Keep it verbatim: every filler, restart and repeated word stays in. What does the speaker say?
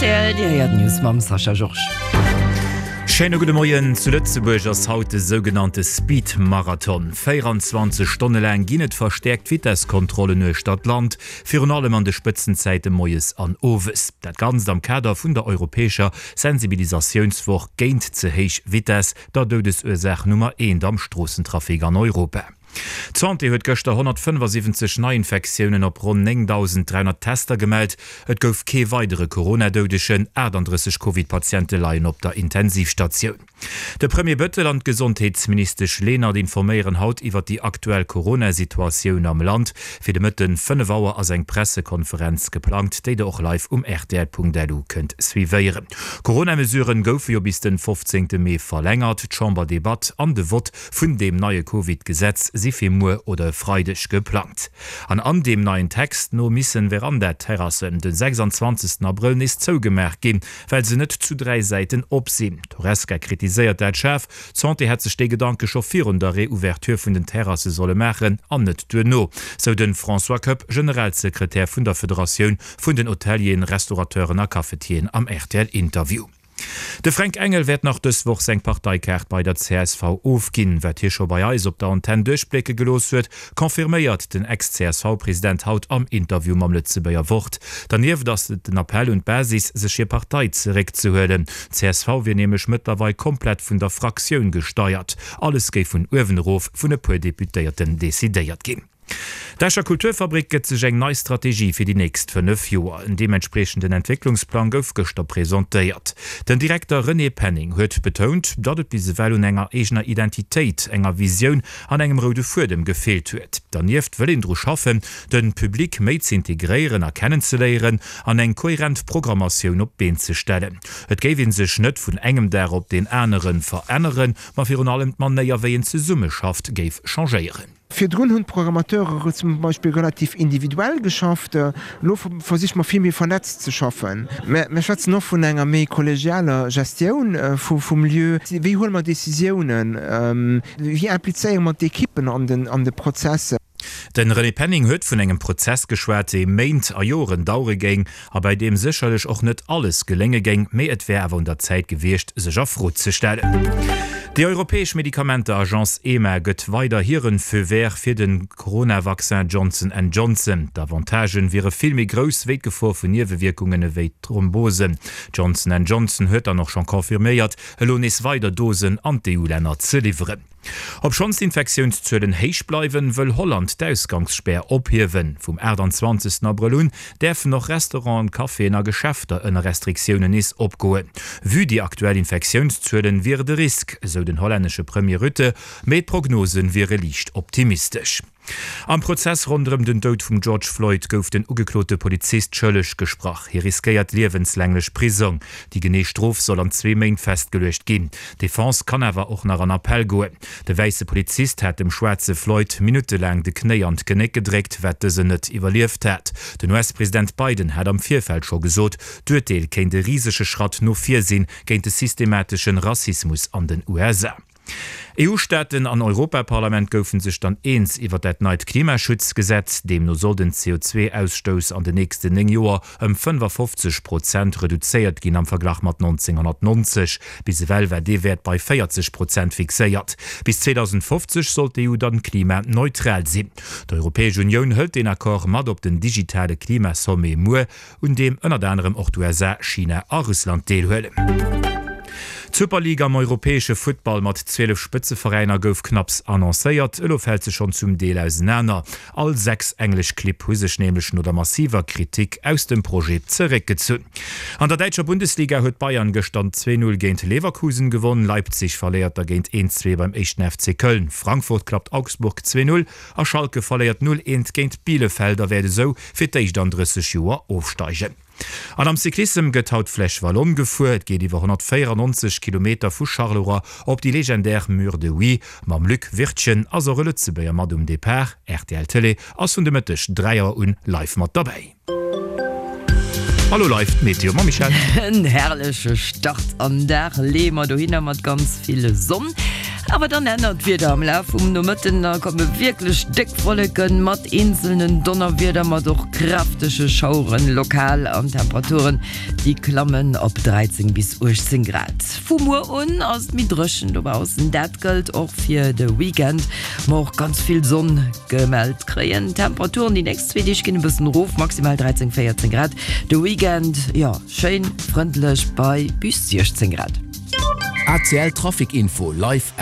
R T L, Dir héiert d'News mam Sascha Georges. Schéine gudde Moien. Zu Lëtzebuerg ass haut de sougenannte Speed-Marathon. véieranzwanzeg Stonne laang ginn et verstäerkt Vitesskontrollen uechter d'Land, virun allem an de Spëtzenzäite moies an owes. Dat Ganzt am Kader vun der europäescher Sensibilisatiounswoch géint ze héich Vitess, der Doudesursaach Nummer eent am Stroossentrafic an Europa. D'Santé huet gëschter honnertfënnefasiwwenzeg Neiinfektiounen op ronn néngdausend dräihonnert Tester gemellt. Et gouf kee weidere Corona-Doudegen, achtandrësseg Covid-Patiente leien op der Intensivstatioun. De Premier Bettel an d'Gesondheetsministesch Lenert informéieren haut iwwer déi aktuell Corona-Situatioun am Land. Fir de Mëtten fënnef Auer ass eng Pressekonferenz geplangt, déi der och live um rtl Punkt L U kënnt suivéieren. Corona-Mesuren goufe jo bis den fofzéngte Mee verlängert. D'Chamberdebatt an de Vott vun deem neie Covid-Gesetz si fir muer oder e Freideg geplangt. An an deem neien Text no missen Veranda-Terrassen den sechsanzwanzegsten Abrëll nees zougemaach ginn, well se net zu dräi Säiten op sinn. D'Horesca kritiséiert dat schaarf. D'Santé hätt sech dee Gedanke scho virun der Reouverture vun den Terrasse solle maachen an net duerno, sou de François Koepp, Generalsekretär vun der Federatioun vun den Hotelieren, Restaurateuren a Cafetieren am R T L-Interview. De Fränk Engel wäert nach dës Woch seng Parteikaart bei der C S V ofginn. Wat hie scho bei eis op der Antenn duerchblécke gelooss huet, confirméiert den Ex-C S V-President haut am Interview mam Lëtzebuerger Wort. Dernieft ass et den Appell un d'Basis, sech hir Partei zeréckzehuelen. D' C S V wier nämlech mëttlerweil komplett vun der Fraktioun gesteiert. Alles géif vun uewen erof vun e puer Deputéierten decidéiert ginn. D'Escher Kulturfabrik gëtt sech eng nei Strategie fir déi nächst fënnef Joer. En deementspriechenden Entwécklungsplang gouf gëschter presentéiert. Den Direkter René Penning huet betount, datt et bis ewell un enger eegener Identitéit, enger Visioun an engem roude Fuedem gefeelt huet. Dernieft wëll een dru schaffen, de Public méi z'integréieren a kennenzeléieren an eng kohärent Programmatioun op d'Been ze stellen. Et géif ee sech net vun engem Dag op deen anere veränneren, ma virun allem d'Manéier wéi een zesummeschafft géif changéieren. Virdrun hunn d'Programmateure zum Beispill relativ individuell geschafft, elo versiche mer vill méi vernetzt ze schaffen. Mir schwätzen och vun enger méi kollegialer Gestioun vum Lieu. Wéi huele mer Decisiounen? Wéi implizéiere mer d'Ekippen an de Prozess? De René Penning huet vun engem Prozess geschwat, dee Méint a Joren dauere géing a bei deem sécherlech och net alles gelénge géing, mee et wär awer un der Zäit gewiescht, sech a Fro ze stellen. Déi europäesch Medikamenter-Agence EMA gëtt weider hiren Feu vert fir de Corona-Vaccin Johnson and Johnson. D'Avantagen wiere vill méi grouss wéi d'Gefor vun Niewewierkungen ewéi Thrombosen. Johnson and Johnson huet dann och schonn confirméiert, elo nees weider Dosen an d'E U-Länner ze liwweren. Obschonns d'Infektiounszuelen héich bleiwen, wëll Holland d'Ausgangsspär ophiewen. Vum aachtanzwanzegsten Abrëll un däerfen och Restauranten, Caféen a Geschäfter ënner Restriktiounen nees opgoen. Vue déi aktuell Infektiounszuelen wier et e Risk, esou den hollännesche Premier Rutte, mee d'Prognose wiere liicht optimistesch. Am Prozess ronderëm den Doud vum George Floyd gouf den ugeklote Polizist schëlleg gesprach. Hie riskéiert liewenslänglech Prisong. Déi genee Strof soll an zwee Méint festgeluecht ginn. D'Defense kann awer och nach an Appell goen. De wäisse Polizist hat dem schwaarze Floyd minuttelaang de Knéi an d'Genéck gedréckt, wat dësen net iwwerlieft hat. Den U S-President Biden hat am Virfeld scho gesot, d'Urteel kéint e risege Schratt no vir sinn géint de systematesche Rassismus an den U S A. E U-Staaten an Europaparlament goufen sech dann eens iwwer dat neit Klimaschutzgesetz. Deemno soll den C O zwee Ausstouss an den nächsten néng Joer ëm fënnefafofzeg Prozent reduzéiert ginn am Verglach mat nonzénghonnertnonzeg. Bis ewell war dee Wäert bei véierzeg Prozent fixéiert. Bis zweedausendfofzeg soll d'E U dann klimaneutral sinn. D'Europäesch Unioun hëlt den Accord mat op den digitale Klimasommet muer, un deem ënnert anerem och d'U S A, China a Russland deelhuelen. D'Superliga am europäesche Futtball mat zwielef Spëtzeveräiner gouf knapps annoncéiert, elo fält se schonn zum Deel ausenaner. All sechs englesch Clibb hu sech nämlech no der massiver Kritik aus dem Projet zeréckgezunn. An der däitscher Bundesliga huet Bayern gëschter zwee Null géint Leverkusen gewonn, Leipzig verléiert dergéint eent zwee beim éischten F C Köln, Frankfurt klappt Augsburg zwee Null a Schalke verléiert null eent géint Bielefeld a wäert esou fir d'éischt an drësseg Joer ofsteigen. An am Cyclissem gëtt haut d'Flèche Wallonne gefuer. Et geet iwwer honnertvéierannonzeg Kilometer vu Charleroi op déi legendär Mur de Huy. Mam Luc Wirtgen ass och e Lëtzebuerger mat um Depart. R T L Tëlee ass vun de Mëtteg dräi Auer un live mat derbäi. Hallo live d'Meteo mam Michèle. En herrleche Start am Dag leeë mer dohinner mat ganz vill Sonn. Awer dann ännert d'Wieder am Laf vum Nomëtten, da komme wierklech déck Wolleken mat eenzelnen Donnerwieder, mat och kräftege Schaueren lokal an Temperaturen déi klammen op dräizéng bis uechtzéng Grad. Vu muer un ass et méi dréchen dobaussen, dat gëllt och fir de Weekend, ma och ganz vill Sonn gemellt kréien. D'Temperaturen déi nächst zwee Deeg ginn e bëssen erof, maximal dräizéng, véierzéng Grad, de Weekend, jo, schéin frëndlech bei bis siechzéng Grad. A C L Trafic Info live.